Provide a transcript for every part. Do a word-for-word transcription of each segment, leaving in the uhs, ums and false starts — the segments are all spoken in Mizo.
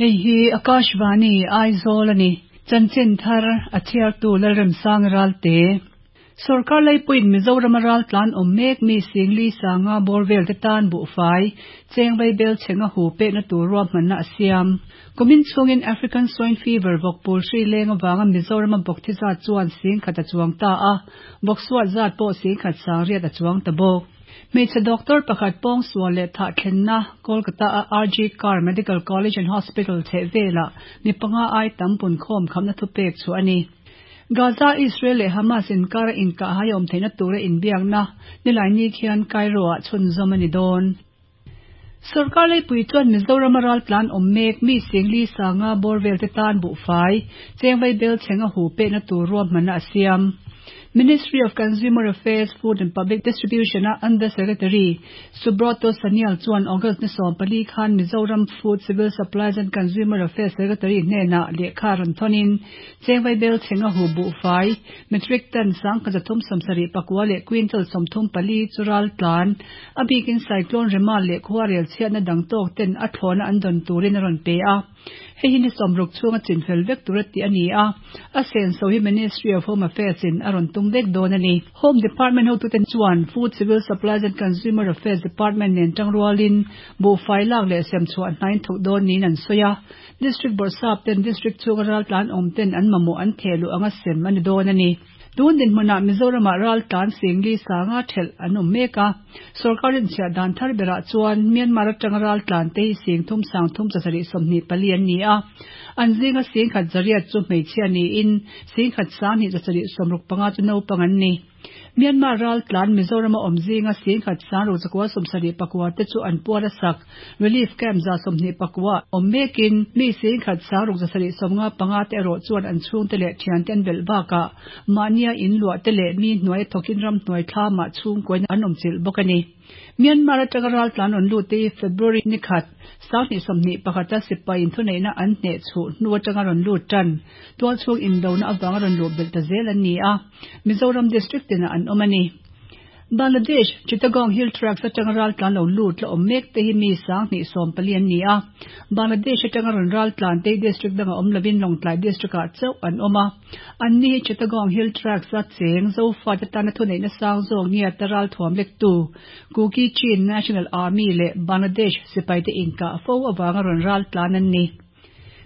Hei hi Akashvani Aizawl a ni. Chanchin thar a chhiartu Lalremsang Ralte. Sorkar laipuiin Mizoram a raltlan awm mek mi Singli Sanga bawr vel te tan buhfai cheng vaibel chhenga hu pekna tur ruahmanna a siam. Kumin chhungin African Swine Fever vawkpul hri leng avanga Mizoram a bawk thi zat chuan singkhat a chuang ta a, bawk suat zat pawh singkhat sangriat a chuang ta bawk. Hmeichhe doctor pakhat pawngsual leh thah thlenna Kolkata a R G Kar Medical College and Hospital chheh velah mi panga ai tam punkhawm khamna thupek chu a ni. Gaza, Israel leh Hamas inkara inkah hai awm theihna tura inbiakna nilai ni khian Cairo ah chhunzawm a ni dawn. Sorkar laipui chuan Mizoram a raltlan awm mek mi Singli Sanga bawr vel te tan buhfai cheng vaibel chhenga hu pekna tur ruahmanna a siam. Ministry of Consumer Affairs, Food and Public Distribution a Under Secretary Subroto Sanyal chuan August ni sawm pali khan Mizoram Food, Civil Supplies and Consumer Affairs Secretary hnenah lehkha rawn thawnin cheng vaibel chhenga hu buhfai metric ton sangkhat zathum sawmsarih pakua leh quintal sawmthum pali chu raltlan a bikin cyclone Rema leh khuarel chhiatna dang tawk ten a thlawna an dawn turin a rawn pe a. Hei hi ni sawmruk chhunga chinfel vek tur a ti a ni a, a senso hi Ministry of Home Affairs in a rawn tum vek dawn a ni. Home Department hotuten chuan Food, Civil Supplies and Consumer Affairs Department nen tangrualin buhfai lak leh sem chhuah hnain thawk dawn niin an sawi a. District Bawrhsap ten District chhunga raltlan awm ten an mamawh an thehluh anga sem a ni dawn a ni. Tun dinhmunah Mizoramah raltlan Singli Sanga thelh an awm mek a. Sorkarin chhiah dan thar berah chuan Myanmar atanga raltlan te hi sing thum sang thum chasarih sawmhnih pali an ni a. An zinga singkhat zariat chu hmeichhia niin singkhat sanghnih chasarih sawmruk panga chu naupang an ni. Myanmar raltlan Mizoram a awm zinga singkhat sangruk zakua sawmsarih pakua te chu an puar a sak relief camp za sawmhnih pakua awm mekin mi singkhat sangruk zasarih sawmnga panga te erawh chuan an chhung te leh thian te an belh bakah mahnia in luah te leh mi hnuai thawkin ram hnuai thlamah chhung kuain an awm chilh bawk a ni. Myanmar atanga raltlan rawn lut te hi February ni khat sanghnih sawmhnih pakhata sipai inthuneihna an hneh chhuh hnu atanga rawn lut tan tual chhung indona awanga rawn luh belh ta zel an ni a. Mizoram district tinah an awm a ni. Bangladesh, Chittagong Hill Tracts atanga raltlan lo lut la awm mek te hi mi sanghnih sawm pali an ni a. Bangladesh atanga rawn raltlan te district danga awm lovin Lawngtlai district ah chauh an awm a. An ni hi Chittagong Hill Tracts a cheng Zofa te tana thuneihna sang zawk nia ta ralthuam lektu Kuki Chin National Army leh Bangladesh sipai te inkah fo awanga rawn raltlan an ni.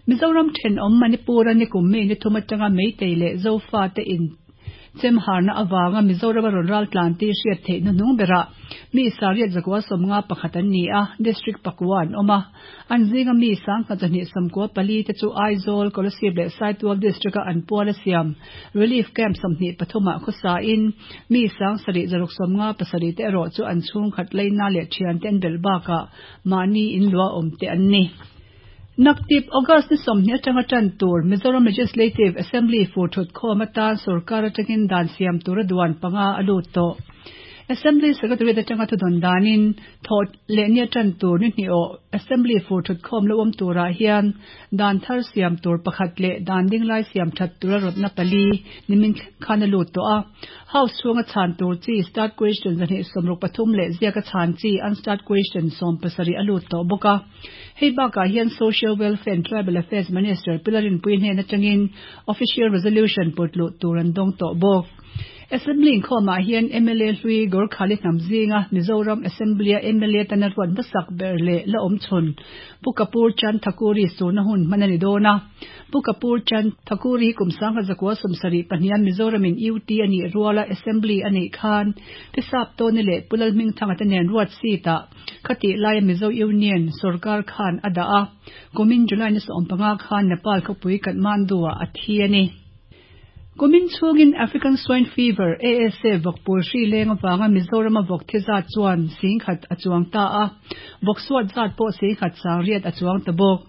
Mizoram thenawm Manipur a ni kum mi ni thum atanga Meitei leh Zofa te in chemharna awanga Mizoram a rawn raltlan te hriat theih hnuhnung berah mi sariat zakua sawmnga pakhat an ni a, district pakua an awm a. An zinga mi sangkhat zahnih sawmkua pali te chu Aizawl, Kolasib leh Saitual district a an pual a siam relief camp sawmhnih pathumah khawsa in mi sang sarih zaruk sawmnga pasarih te erawh chu an chhung khat leina leh thian te an belh bakah mahni in luah awm te an ni. Naktip August ni sawmhnih atanga tan tur Mizoram Legislative Assembly fur thut khawm atan sorkar atangin dan siam tur a duan panga a lut tawh. Assembly Secretary atanga thudawn danin thaw leh nia tan tur ni hnih aw Assembly fur thut khawm lo awm turah hian dan thar siam tur pakhat leh dan dinglai siam that tur a rawtna pali nimin khan a lut tawh a. House chhunga chhan tur chi start question zahnih sawmruk pathum leh ziaka chhan chi unstarred question sawm pasarih a lut tawh bawk a. Hei bakah hian Social Welfare and Tribal Affairs Minister Pilarin pui hnen atangin official resolution putluh tur an dawng tawh bawk. Assembly inkhawmah hian M L A hlui Gorkhali hnam zinga Mizoram Assembly a M L A tana ruat hmasak ber leh la awm chhun Pu Kapur Chand Thakuri surna hun hman a ni dawn a. Pu Kapur Chand Thakuri hi kum sangkhat zakua sawmsarih pahnihan Mizoramin U T a nih ruala Assembly a neih khan Tisap Tawni leh Pu Lalhmingthanga te nen ruat seat-ah khatih laia Mizo Union sorkar khan a dah a. Kumin July ni sawm panga khan Nepal khawpui Kathmandu-ah a thi a ni. Kumin chhungin African Swine Fever A S A vawkpul hri leng awanga Mizoram a vawk thi zat chuan singkhat a chuang ta a. Vawk suat zat pawh singkhat sangriat a chuang ta bawk.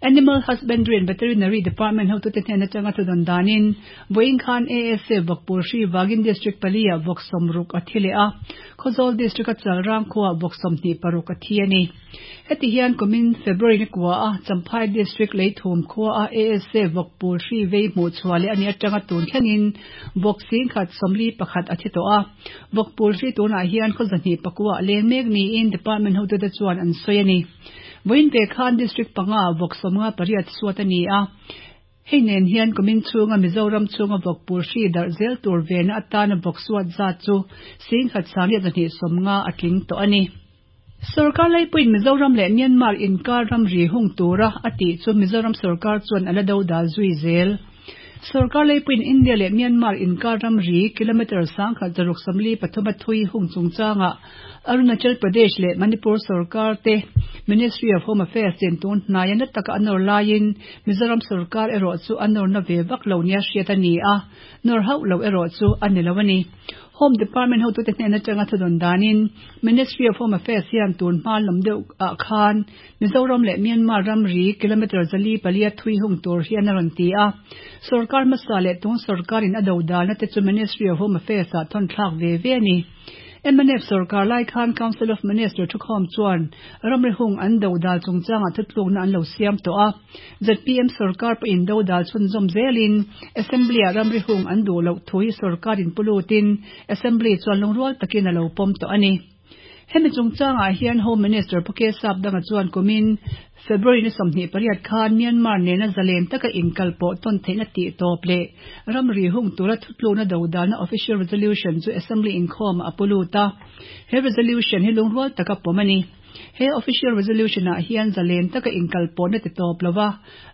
Animal Husbandry and Veterinary Department hotute hnen atanga thudawn danin vawiin khan A S A vawkpul hri wangin district pali ah vawk sawmruk a thi leh a. Khawzawl district a Chalrang khuah vawk sawmhnih paruk a thi a ni. Heti hian kumin February ni kua a Champhai district leithum khua a A S A vawkpul hri vei hmuh chhuah leh ani atanga tun thlengin vawk singkhat sawmli pakhat a thi tawh a. Vawkpul hri tunah hian khaw zahnih pakua leng mek niin department hotute chuan an sawi a ni. Vawiin ve khan District panga vawk sawmnga pariat suat a ni a. Hei nen hian kumin chhunga Mizoram chhunga vawk pul hri darh zel tur vena atana vawk suat zat chu singkhat sangriat zahnih sawmnga a tling tawh a ni. Sorkar laipuiin Mizoram leh Myanmar inkar ramri hung tura a tih chu Mizoram sorkar chuan a la do dal zui zel. Sorkar laipuiin India leh Myanmar inkar ramri kilometre sangkhat zaruk sawmli pathum a thui hung chungchangah Arunachal Pradesh leh Manipur sorkar te Ministry of Home Affairs in tun hnaia na taka a nawr laiin Mizoram sorkar erawh chu a nawrna ve vak lo nia hriat a ni a, nawr hauh lo erawh chu a ni lo a ni. Home Department hotute hnen atanga thudawn danin Ministry of Home Affairs hian tun hma lam deuh ah khan Mizoram leh Myanmar ramri kilometre zali palia thui hung tur hian a rawn ti a. Sorkar hmasa leh tun sorkarin a do dalna te chu Ministry of Home Affairs ah thawn thlak ve ve a ni. M N F sorkar lai khan Council of Minister thukhawm chuan ramri hung an do dal chungchangah thutlukna an lo siam tawh a. Z P M sorkar pawhin do dal chhunzawm zelin Assembly ah ramri hung an duh loh thu hi sorkarin pulutin Assembly chuan lungrual takin a lo pawm tawh a ni. Hemi chungchangah hian Home Minister Pu K Sapdanga chuan kumin February ni sawmhnih pariat khan Myanmar nena zalen taka inkal pawh tawn theihna tih tawp leh ramri hung tura thutlukna do dalna official resolution chu Assembly inkhawmah a pulut a. He resolution hi lungrual taka pawm a ni. He official resolution ah hian zalen taka inkal pawhna ti tawp lova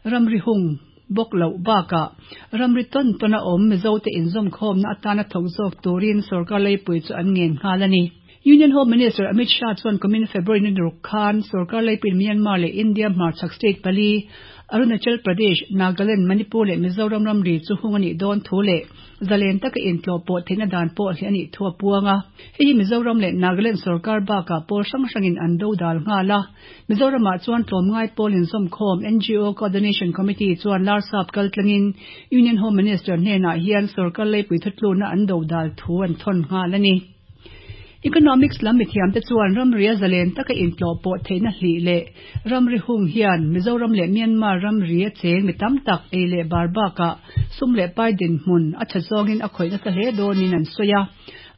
ramri hung bawk loh bakah ramri tawn tawn a awm Mizote inzawmkhawmna atana thawk zawk turin sorkar laipui chu an ngen nghal a ni. Union Home Minister Amit Shah chuan kumin February ni ruk khan sorkar laipuiin Myanmar leh India hmarchhak state pali Arunachal Pradesh, Nagaland, Manipur leh Mizoram ramri chu hung a nih dawn thu leh zalen taka intlawh pawh theihna dan pawh hle a nih thu a puang a. Hei hi Mizoram leh Nagaland sorkar bakah pawl hrang hrangin an do dal nghal a. Mizoramah chuan tlawmngai pawl inzawmkhawm N G O Coordination Committee chuan Larsap kaltlangin Union Home Minister hnenah hian sorkar laipui thutlukna an do dal thu an thawn nghal a ni. Economics lam mithiam te chuan ramri a zalen taka intlawh pawh theihna hlih leh ramri hung hian Mizoram leh Myanmar ramri a cheng mi tam tak ei leh bar bakah sum leh pai dinhmun a tha zawngin a khawih nasa hle dawnin an sawi a.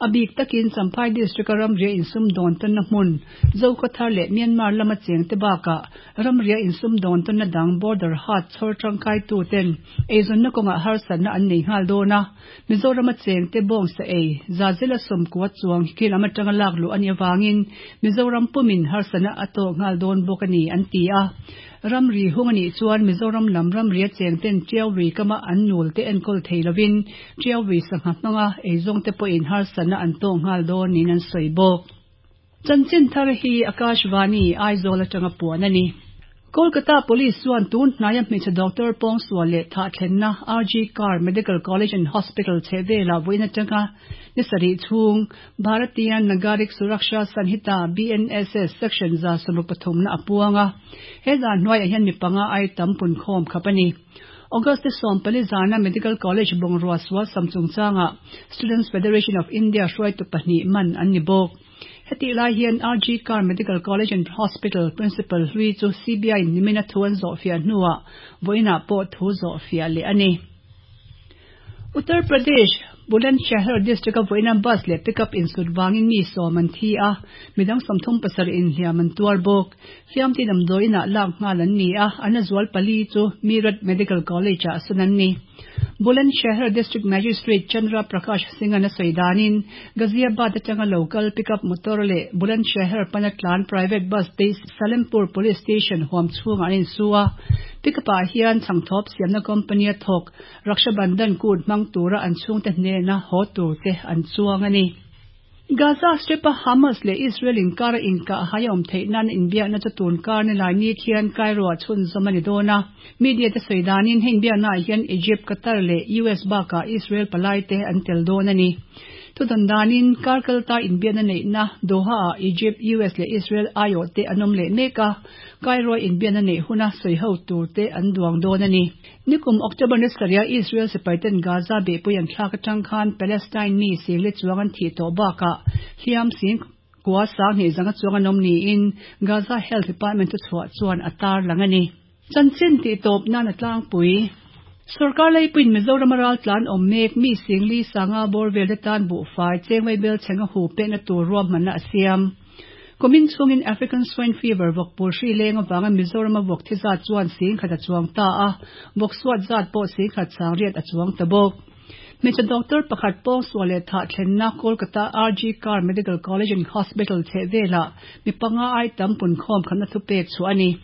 A bik takin Champhai District a ramri a insum dawn tawnna hmun Zokhawthar leh Myanmar lama cheng te bakah ramri a insum dawn tawnna dang border hat chhawr tangkai tu ten eizawnna kawngah harsatna an nei nghal dawn a. Mizoram a cheng te bawng sa ei zazela sawmkua chuang hi lam atanga lak luh a ni awangin Mizoram pumin harsatna a tawk nghal dawn bawk a ni an ti a. Ramri hung a nih chuan Mizoram lam ramri a cheng ten Tiauri kama an nul te enkawl thei lovin Tiauri sangha hmanga eizawng te pawhin harsatna an tawk nghal dawn niin an sawi bawk. Chanchin thar hi Akashvani Aizawl atanga puan a ni. Kolkata Police chuan tun hnaia hmeichhe doctor pawngsual leh thah thlenna R G Kar Medical College and Hospital chhehvela vawiin atanga ni sarih chhung Bharatiya Nagarik Suraksha Sanhita B N S S Section za sawmruk pathumna a puang a. He zan hnuaiah hian mi panga ai tam punkhawm khap a ni. August sawm pali zana Medical College bungrua sual sam chungchangah Students Federation of India hruaitu pahnih man an ni bawk. Heti lai hian R G Kar Medical College and Hospital Principal hlui chu C B I nimina thu an zawh fiah hnuah vawiinah pawh thu zawh fiah leh a ni. Uttar Pradesh Bulandshahr district a vawiina bus leh pickup insut wangin mi sawm an thi a, midang sawmthum pasarih inhliam an tuar bawk. Hliam ti damdawiinah lak nghal an ni a, an a zual pali chu Meerut Medical College ah sawn an ni. Bulandshahr District Magistrate Chandra Prakash Singh an a sawi danin Ghaziabad atanga local pickup motor leh Bulandshahr pana tlan private bus te Salempur Police Station huam chhungah an insu a. Pickup ah hian changthawp siamna company a thawk Rakshabandhan kut hmang tura an chhungte hnena haw tur te an chuang a ni. Gaza Strip a Hamas leh Israel inkar a inkah hai a awm theih nan inbiakna chu tun kar ni lai ni khian Cairo ah chhunzawm a ni dawn a. Media te sawi danin hei inbiakna ah hian Egypt, Qatar leh U S bakah Israel palai te an tel dawn a ni. Thudawn danin kar kalta inbiakna neihna Doha ah Egypt, U S leh Israel aiawh te an awm leh mek a. Cairo inbiakna neih huna sawi ho tur te an duang dawn a ni. Nikum October ni sarih a Israel sipaiten Gaza behpui an thlak atang khan Palestine mi sing le chuang an thih tawh bakah hliam sing kua sang hnih zanga chuang an awm niin Gaza Health Department chu chhuah chuan a tar lang a ni. Chanchin tih tawp nan a tlangpui. Sorkar laipuiin Mizoram a ral tlan awm mek mi sing li sanga bawr vel te tan buhfai chengwai bel chhenga hu pekna tur ruahmanna a siam. Kumin chhungin African Swine Fever vawk pul hri leng avanga Mizoram a vawk thi zat chuan sing khat a chuang ta a, vawk suat zat pawh sing khat sang riat a chuang ta bawk. Hmeichhe doctor pakhat pawngsual leh thah thlenna Kolkata R G Kar Medical College and Hospital chhehvelah mi panga ai tam punkhawm khamna thupek chhuah a ni.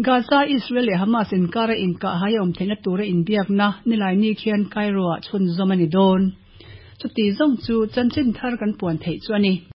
Gaza, Israel leh Hamas inkara inkahhai a awm theihna tura inbiakna nilai ni khian Cairo-ah chhunzawm a ni dawn. Chuti zawng chu chanchin thar kan puan theih chu a ni.